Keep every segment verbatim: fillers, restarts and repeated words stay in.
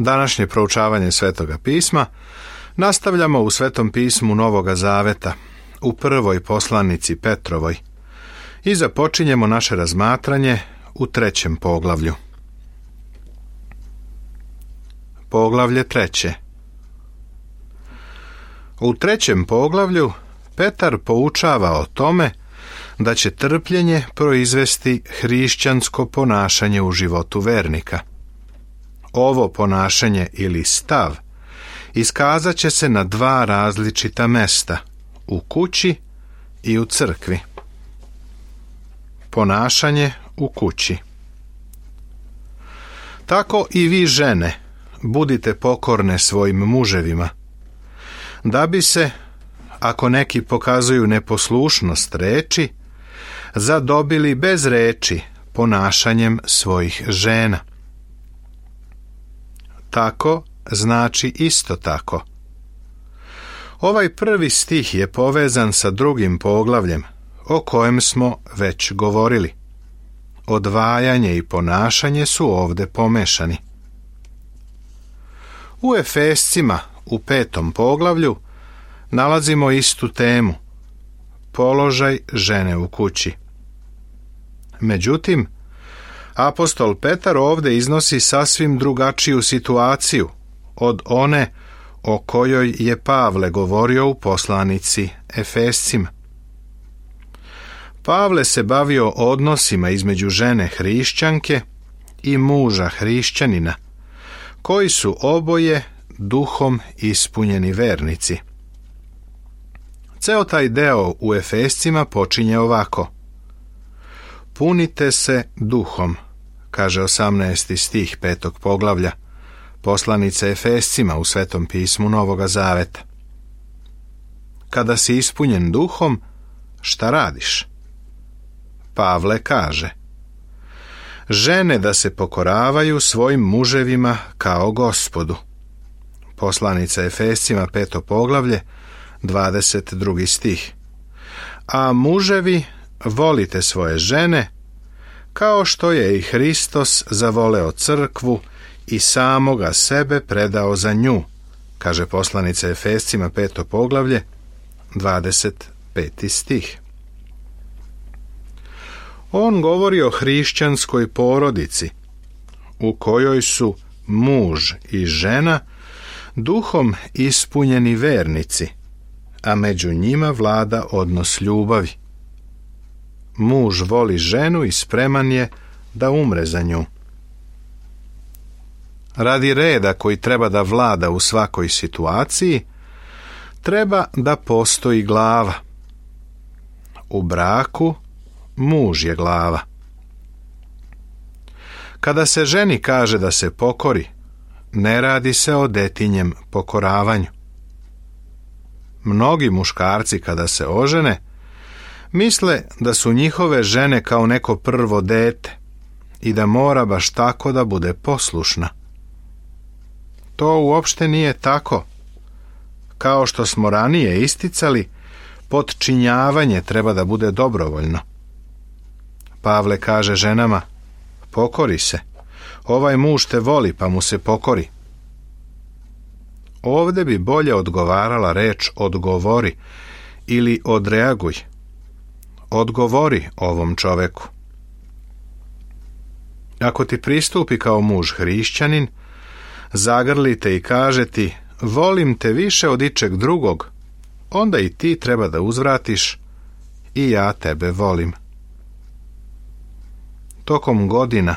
Današnje proučavanje Svetoga pisma nastavljamo u Svetom pismu Novoga Zaveta, u prvoj poslanici Petrovoj, i započinjemo naše razmatranje u trećem poglavlju. Poglavlje treće. U trećem poglavlju Petar poučava o tome da će trpljenje proizvesti hrišćansko ponašanje u životu vernika. Ovo ponašanje ili stav iskazat će se na dva različita mesta, u kući i u crkvi. Ponašanje u kući. Tako i vi, žene, budite pokorne svojim muževima, da bi se, ako neki pokazuju neposlušnost reči, zadobili bez reči ponašanjem svojih žena. Tako znači isto tako. Ovaj prvi stih je povezan sa drugim poglavljem, o kojem smo već govorili. Odvajanje i ponašanje su ovdje pomešani. U Efescima, u petom poglavlju, nalazimo istu temu, položaj žene u kući. Međutim, apostol Petar ovdje iznosi sasvim drugačiju situaciju od one o kojoj je Pavle govorio u poslanici Efescima. Pavle se bavio odnosima između žene hrišćanke i muža hrišćanina, koji su oboje duhom ispunjeni vernici. Ceo taj deo u Efescima počinje ovako. Punite se duhom, kaže osamnaesti stih petog poglavlja poslanice Efescima u Svetom pismu Novoga Zaveta. Kada si ispunjen duhom, šta radiš? Pavle kaže: žene da se pokoravaju svojim muževima kao Gospodu. Poslanica Efescima peto poglavlje, dvadeset drugi stih. A muževi, volite svoje žene, kao što je i Hristos zavoleo crkvu i samoga sebe predao za nju, kaže poslanica Efescima peto poglavlje, dvadeset peti stih. On govori o hrišćanskoj porodici, u kojoj su muž i žena duhom ispunjeni vernici, a među njima vlada odnos ljubavi. Muž voli ženu i spreman je da umre za nju. Radi reda koji treba da vlada u svakoj situaciji, treba da postoji glava. U braku muž je glava. Kada se ženi kaže da se pokori, ne radi se o detinjem pokoravanju. Mnogi muškarci kada se ožene, misle da su njihove žene kao neko prvo dete i da mora baš tako da bude poslušna. To uopšte nije tako. Kao što smo ranije isticali, potčinjavanje treba da bude dobrovoljno. Pavle kaže ženama: pokori se, ovaj muž te voli pa mu se pokori. Ovdje bi bolje odgovarala reč odgovori ili odreaguj. Odgovori ovom čoveku. Ako ti pristupi kao muž hrišćanin, zagrli te i kaže ti: volim te više od ičeg drugog, onda i ti treba da uzvratiš: i ja tebe volim. Tokom godina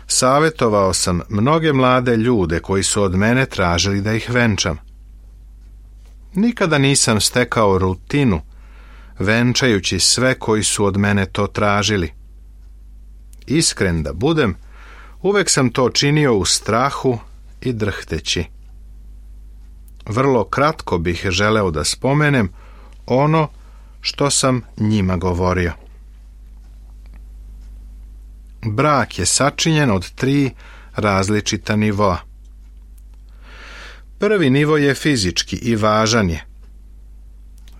savjetovao sam mnoge mlade ljude koji su od mene tražili da ih venčam. Nikada nisam stekao rutinu, venčajući sve koji su od mene to tražili. Iskren da budem, uvek sam to činio u strahu i drhteći. Vrlo kratko bih želeo da spomenem ono što sam njima govorio. Brak je sačinjen od tri različita nivoa. Prvi nivo je fizički i važan je.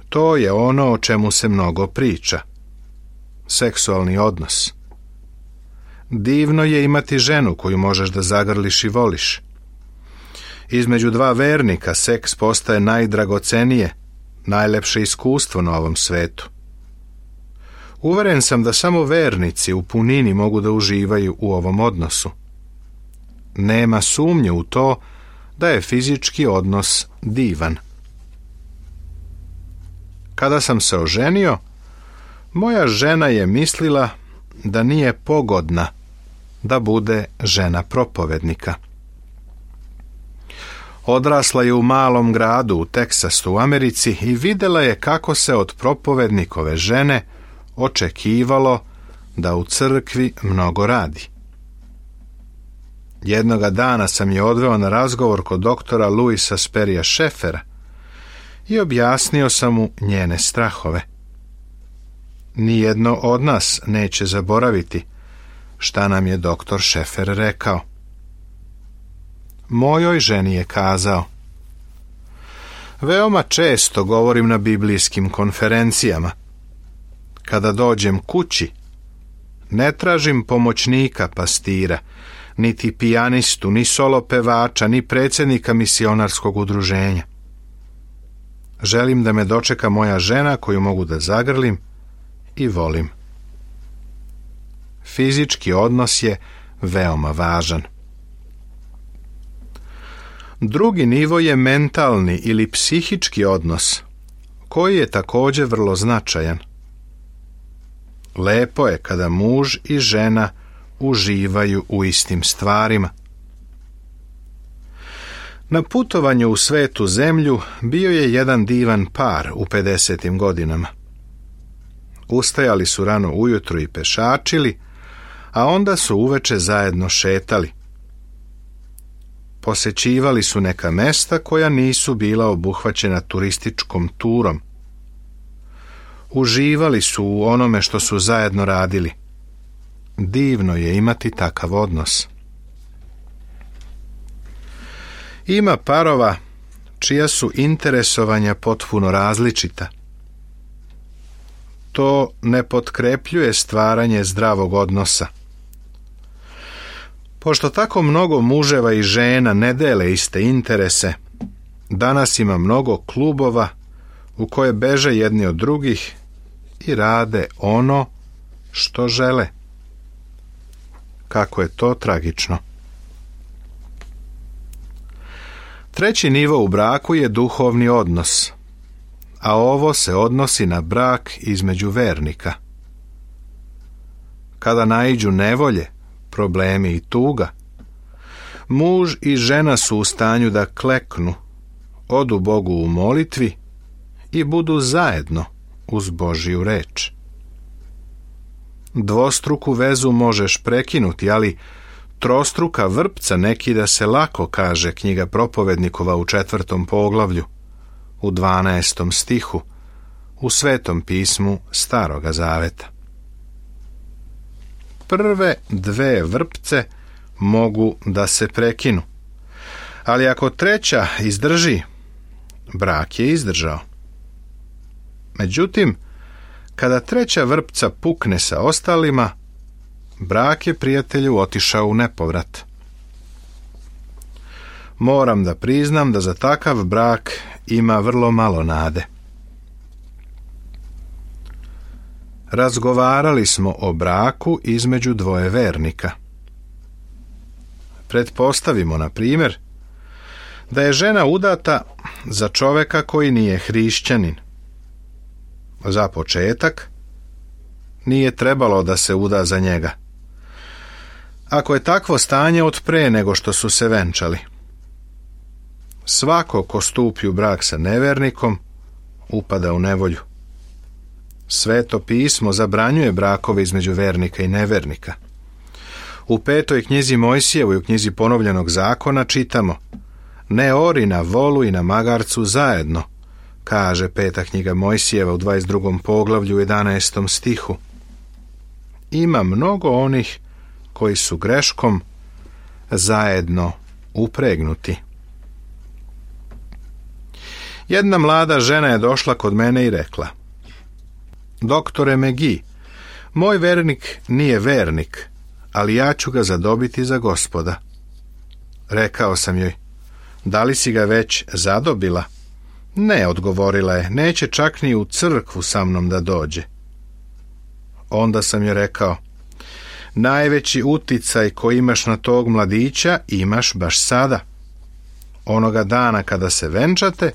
To je ono o čemu se mnogo priča. Seksualni odnos. Divno je imati ženu koju možeš da zagrliš i voliš. Između dva vernika seks postaje najdragocenije, najlepše iskustvo na ovom svetu. Uveren sam da samo vernici u punini mogu da uživaju u ovom odnosu. Nema sumnje u to da je fizički odnos divan. Kada sam se oženio, moja žena je mislila da nije pogodna da bude žena propovednika. Odrasla je u malom gradu u Teksasu u Americi i vidjela je kako se od propovednikove žene očekivalo da u crkvi mnogo radi. Jednoga dana sam je odveo na razgovor kod doktora Louisa Sperrya Scheffera i objasnio sam mu njene strahove. Nijedno od nas neće zaboraviti šta nam je doktor Scheffer rekao. Mojoj ženi je kazao: veoma često govorim na biblijskim konferencijama. Kada dođem kući, ne tražim pomoćnika pastira, niti pijanistu, ni solo pevača, ni predsjednika misionarskog udruženja. Želim da me dočeka moja žena koju mogu da zagrlim i volim. Fizički odnos je veoma važan. Drugi nivo je mentalni ili psihički odnos, koji je također vrlo značajan. Lepo je kada muž i žena uživaju u istim stvarima. Na putovanju u svetu zemlju bio je jedan divan par u pedesetim godinama. Ustajali su rano ujutro i pešačili, a onda su uveče zajedno šetali. Posećivali su neka mesta koja nisu bila obuhvaćena turističkom turom. Uživali su u onome što su zajedno radili. Divno je imati takav odnos. Ima parova čija su interesovanja potpuno različita. To ne potkrepljuje stvaranje zdravog odnosa. Pošto tako mnogo muževa i žena ne dele iste interese, danas ima mnogo klubova u koje beže jedni od drugih i rade ono što žele. Kako je to tragično. Treći nivo u braku je duhovni odnos, a ovo se odnosi na brak između vernika. Kada naiđu nevolje, problemi i tuga, muž i žena su u stanju da kleknu, odu Bogu u molitvi i budu zajedno uz Božju reč. Dvostruku vezu možeš prekinuti, ali trostruka vrpca ne kida se lako, kaže knjiga Propovednikova u četvrtom poglavlju, u dvanaestom stihu, u Svetom pismu Staroga Zaveta. Prve dve vrpce mogu da se prekinu, ali ako treća izdrži, brak je izdržao. Međutim, kada treća vrpca pukne sa ostalima, brak je, prijatelju, otišao u nepovrat. Moram da priznam da za takav brak ima vrlo malo nade. Razgovarali smo o braku između dvoje vernika. Pretpostavimo, na primjer, da je žena udata za čoveka koji nije hrišćanin. Za početak, nije trebalo da se uda za njega. Ako je takvo stanje od pre nego što su se venčali. Svako ko stupi u brak sa nevernikom, upada u nevolju. Sveto pismo zabranjuje brakove između vernika i nevernika. U petoj knjizi Mojsijevoj, u knjizi Ponovljenog zakona, čitamo: ne ori na volu i na magarcu zajedno, kaže peta knjiga Mojsijeva u dvadeset drugom poglavlju u jedanaestom stihu. Ima mnogo onih koji su greškom zajedno upregnuti. Jedna mlada žena je došla kod mene i rekla: doktore Megi, moj vernik nije vernik, ali ja ću ga zadobiti za Gospoda. Rekao sam joj: Da li si ga već zadobila? Ne, odgovorila je, neće čak ni u crkvu sa mnom da dođe. Onda sam joj rekao, najveći uticaj koji imaš na tog mladića imaš baš sada. Onoga dana kada se venčate,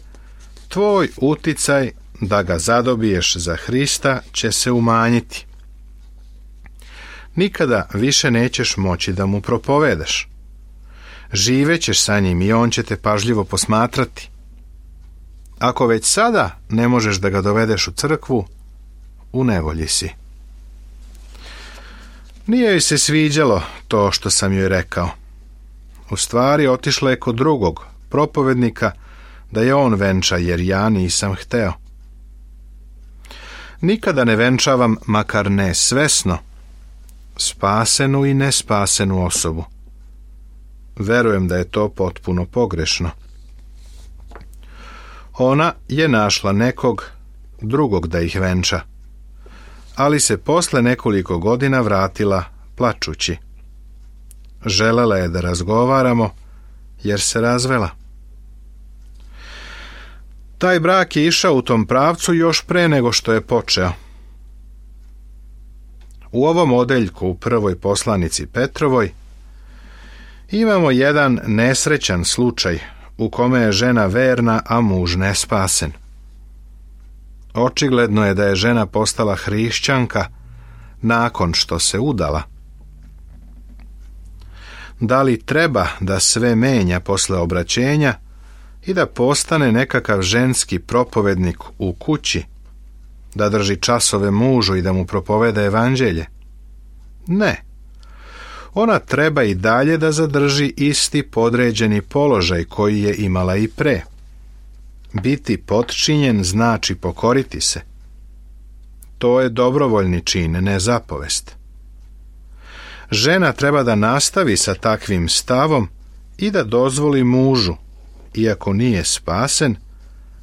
tvoj uticaj da ga zadobiješ za Hrista će se umanjiti. Nikada više nećeš moći da mu propovedaš. Živećeš sa njim i on će te pažljivo posmatrati. Ako već sada ne možeš da ga dovedeš u crkvu, u nevolji si. Nije joj se sviđalo to što sam joj rekao. U stvari otišla je kod drugog propovednika da je on venča, jer ja nisam hteo. Nikada ne venčavam, makar ne svesno, spasenu i nespasenu osobu. Verujem da je to potpuno pogrešno. Ona je našla nekog drugog da ih venča, ali se posle nekoliko godina vratila plačući. Želela je da razgovaramo, jer se razvela. Taj brak je išao u tom pravcu još pre nego što je počeo. U ovom odeljku u prvoj poslanici Petrovoj imamo jedan nesrećan slučaj u kome je žena verna, a muž nespasen. Očigledno je da je žena postala hrišćanka nakon što se udala. Da li treba da sve menja posle obraćenja i da postane nekakav ženski propovednik u kući, da drži časove mužu i da mu propoveda evanđelje? Ne. Ona treba i dalje da zadrži isti podređeni položaj koji je imala i pre. Biti potčinjen znači pokoriti se. To je dobrovoljni čin, ne zapovest. Žena treba da nastavi sa takvim stavom i da dozvoli mužu, iako nije spasen,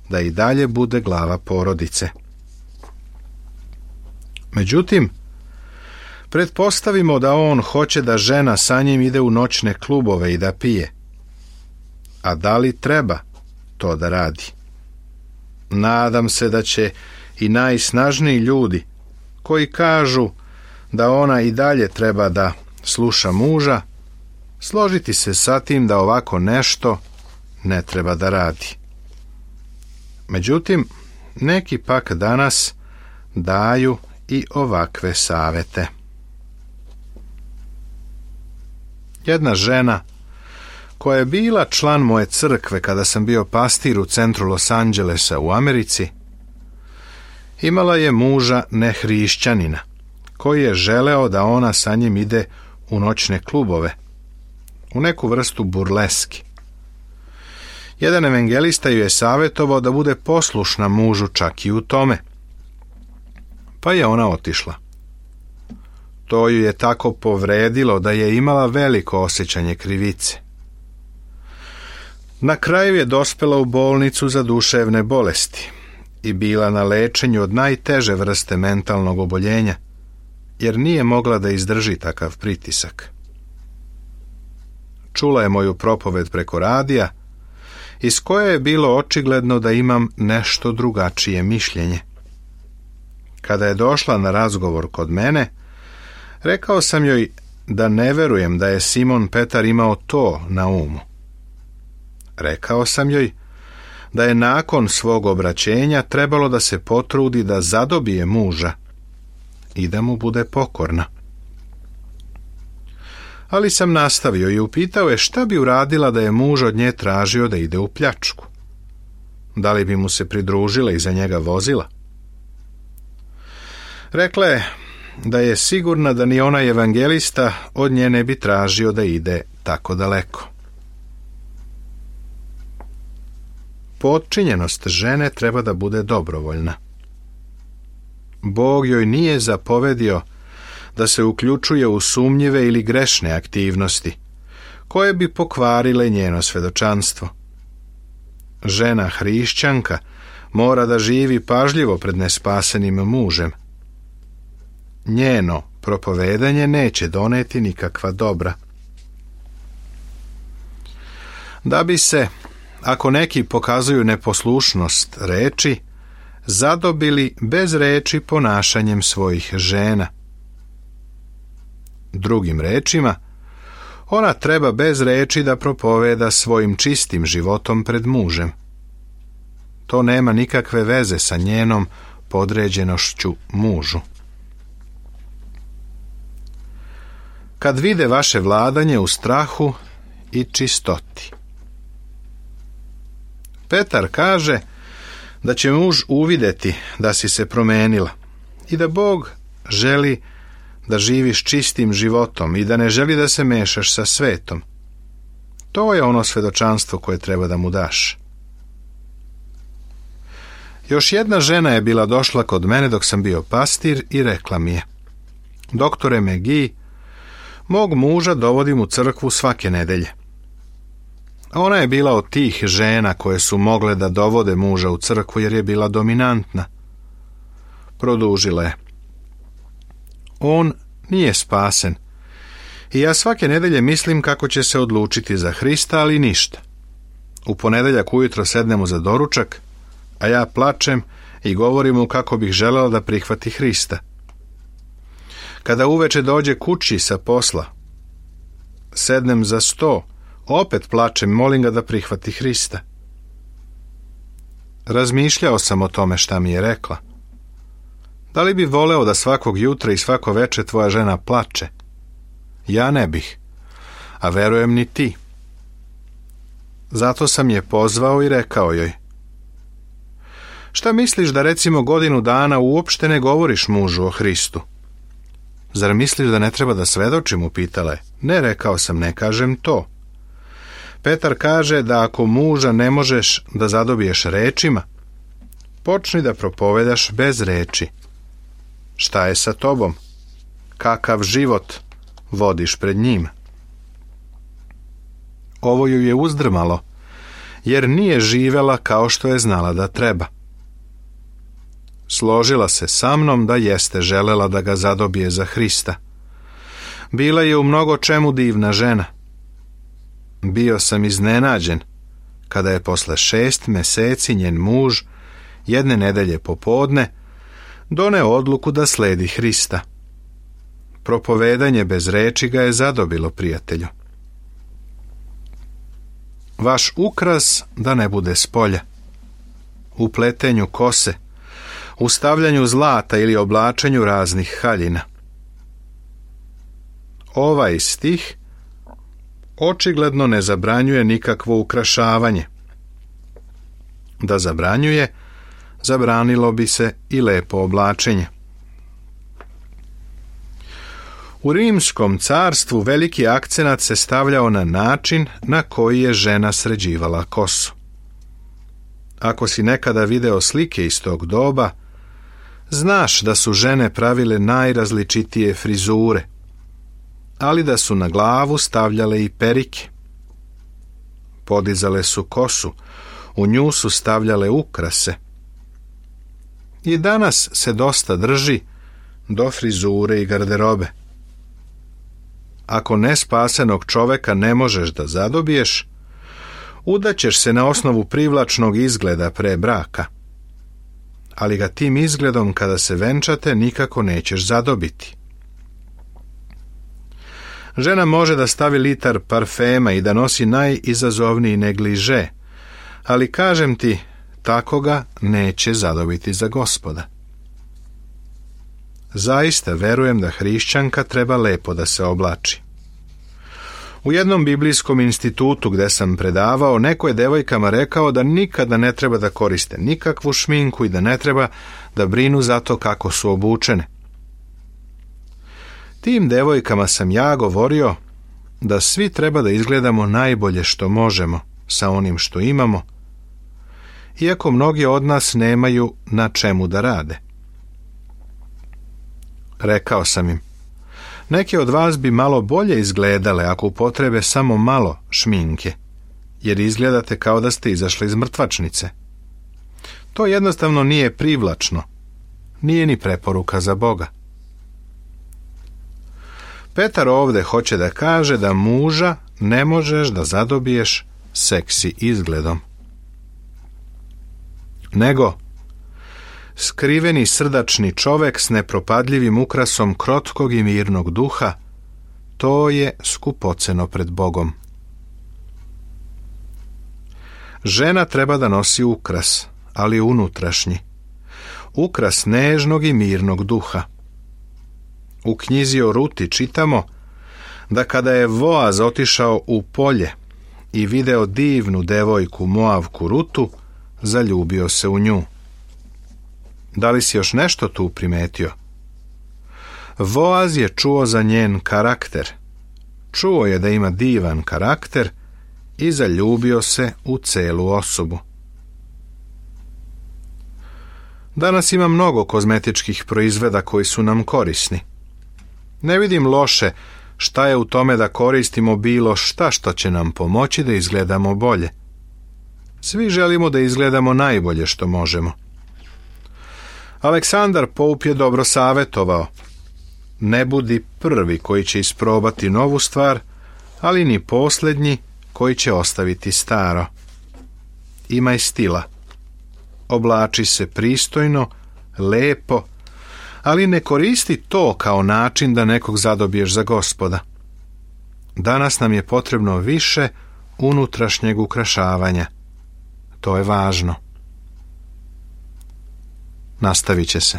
da i dalje bude glava porodice. Međutim, pretpostavimo da on hoće da žena sa njim ide u noćne klubove i da pije. A da li treba to da radi? Nadam se da će i najsnažniji ljudi koji kažu da ona i dalje treba da sluša muža, složiti se sa tim da ovako nešto ne treba da radi. Međutim, neki pak danas daju i ovakve savete. Jedna žena koja je bila član moje crkve kada sam bio pastir u centru Los Angelesa u Americi, imala je muža nehrišćanina, koji je želeo da ona sa njim ide u noćne klubove, u neku vrstu burleski. Jedan evangelista ju je savjetovao da bude poslušna mužu čak i u tome. Pa je ona otišla. To ju je tako povredilo da je imala veliko osjećanje krivice. Na kraju je dospela u bolnicu za duševne bolesti i bila na lečenju od najteže vrste mentalnog oboljenja, jer nije mogla da izdrži takav pritisak. Čula je moju propoved preko radija, iz koje je bilo očigledno da imam nešto drugačije mišljenje. Kada je došla na razgovor kod mene, rekao sam joj da ne verujem da je Simon Petar imao to na umu. Rekao sam joj da je nakon svog obraćenja trebalo da se potrudi da zadobije muža i da mu bude pokorna. Ali sam nastavio i upitao je šta bi uradila da je muž od nje tražio da ide u pljačku. Da li bi mu se pridružila i za njega vozila? Rekla je da je sigurna da ni onaj evangelista od nje ne bi tražio da ide tako daleko. Potčinjenost žene treba da bude dobrovoljna. Bog joj nije zapovedio da se uključuje u sumnjive ili grešne aktivnosti, koje bi pokvarile njeno svedočanstvo. Žena hrišćanka mora da živi pažljivo pred nespasenim mužem. Njeno propovedanje neće doneti nikakva dobra. Da bi se ako neki pokazuju neposlušnost reči, zadobili bez reči ponašanjem svojih žena. Drugim rečima, ona treba bez reči da propoveda svojim čistim životom pred mužem. To nema nikakve veze sa njenom podređenošću mužu. Kad vide vaše vladanje u strahu i čistoti. Petar kaže da će muž uvidjeti da si se promenila i da Bog želi da živiš čistim životom i da ne želi da se mešaš sa svetom. To je ono svedočanstvo koje treba da mu daš. Još jedna žena je bila došla kod mene dok sam bio pastir i rekla mi je: Doktore McGee, mog muža dovodim u crkvu svake nedelje. Ona je bila od tih žena koje su mogle da dovode muža u crkvu jer je bila dominantna. Produžila je: On nije spasen i ja svake nedelje mislim kako će se odlučiti za Hrista, ali ništa. U ponedeljak ujutro sednemo za doručak, a ja plačem i govorim mu kako bih želela da prihvati Hrista. Kada uveče dođe kući sa posla, sednem za sto, opet plačem i molim ga da prihvati Hrista. Razmišljao sam o tome šta mi je rekla. Da li bi voleo da svakog jutra i svako veče tvoja žena plače? Ja ne bih, a verujem ni ti. Zato sam je pozvao i rekao joj: Šta misliš da recimo godinu dana uopšte ne govoriš mužu o Hristu? Zar misliš da ne treba da svedočim, upitala je. Ne, rekao sam, ne kažem to. Petar kaže da ako muža ne možeš da zadobiješ rečima, počni da propovedaš bez reči. Šta je sa tobom? Kakav život vodiš pred njim? Ovo ju je uzdrmalo, jer nije živela kao što je znala da treba. Složila se sa mnom da jeste želela da ga zadobije za Hrista. Bila je u mnogo čemu divna žena. Bio sam iznenađen kada je posle šest meseci njen muž jedne nedelje popodne doneo odluku da sledi Hrista. Propovedanje bez reči ga je zadobilo, prijatelju. Vaš ukras da ne bude spolja. U pletenju kose, u stavljanju zlata ili oblačenju raznih haljina. Ovaj stih očigledno ne zabranjuje nikakvo ukrašavanje. Da zabranjuje, zabranilo bi se i lepo oblačenje. U Rimskom carstvu veliki akcenat se stavljao na način na koji je žena sređivala kosu. Ako si nekada video slike iz tog doba, znaš da su žene pravile najrazličitije frizure, ali da su na glavu stavljale i perike. Podizale su kosu, u nju su stavljale ukrase. I danas se dosta drži do frizure i garderobe. Ako nespasenog čoveka ne možeš da zadobiješ, udaćeš se na osnovu privlačnog izgleda pre braka. Ali ga tim izgledom kada se venčate nikako nećeš zadobiti. Žena može da stavi litar parfema i da nosi najizazovniji negliže, ali kažem ti, tako ga neće zadobiti za Gospoda. Zaista verujem da hrišćanka treba lepo da se oblači. U jednom biblijskom institutu gde sam predavao, neko je devojkama rekao da nikada ne treba da koriste nikakvu šminku i da ne treba da brinu za to kako su obučene. Tim devojkama sam ja govorio da svi treba da izgledamo najbolje što možemo sa onim što imamo, iako mnogi od nas nemaju na čemu da rade. Rekao sam im: Neke od vas bi malo bolje izgledale ako upotrebe samo malo šminke, jer izgledate kao da ste izašli iz mrtvačnice. To jednostavno nije privlačno, nije ni preporuka za Boga. Petar ovde hoće da kaže da muža ne možeš da zadobiješ seksi izgledom. nego skriveni srdačni čovek s nepropadljivim ukrasom krotkog i mirnog duha, to je skupoceno pred Bogom. Žena treba da nosi ukras, ali unutrašnji. Ukras nežnog i mirnog duha. U knjizi o Ruti čitamo da kada je Boaz otišao u polje i video divnu devojku Moavku Rutu, zaljubio se u nju. Da li si još nešto tu primetio? Boaz je čuo za njen karakter. Čuo je da ima divan karakter i zaljubio se u celu osobu. Danas ima mnogo kozmetičkih proizvoda koji su nam korisni. Ne vidim loše šta je u tome da koristimo bilo šta što će nam pomoći da izgledamo bolje. Svi želimo da izgledamo najbolje što možemo. Aleksandar Poup je dobro savjetovao: ne budi prvi koji će isprobati novu stvar, ali ni posljednji koji će ostaviti staro. Imaj stila. Oblači se pristojno, lepo, ali ne koristi to kao način da nekog zadobiješ za Gospoda. Danas nam je potrebno više unutrašnjeg ukrašavanja. To je važno. Nastavit će se.